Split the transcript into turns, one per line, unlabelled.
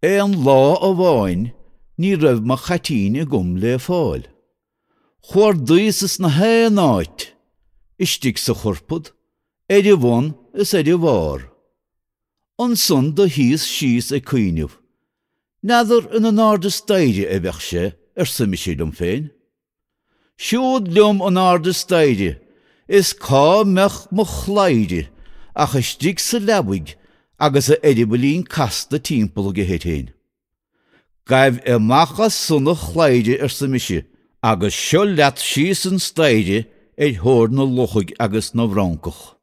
Aon lá amháin ní raibh mo chaitín agam le fáil. Chuardaíos ins na haon áit, istigh sa chorpad, ar a bhun is ar a bharr. Ansan do shuíos síos ag cuimhneamh. N'fheadar ina n-airde staighre a bheadh sé, arsa mise liom féin. Siúd liom in airde staighre is cá mbeadh mo chladhaire ach istigh sa leabaidh agus a eireabaillín casta timpeall aige air féin. Gabh amach as san a chladhaire arsa mise agus seo leat síos an staighre ar thóir na luchaig agus na bhfrancach.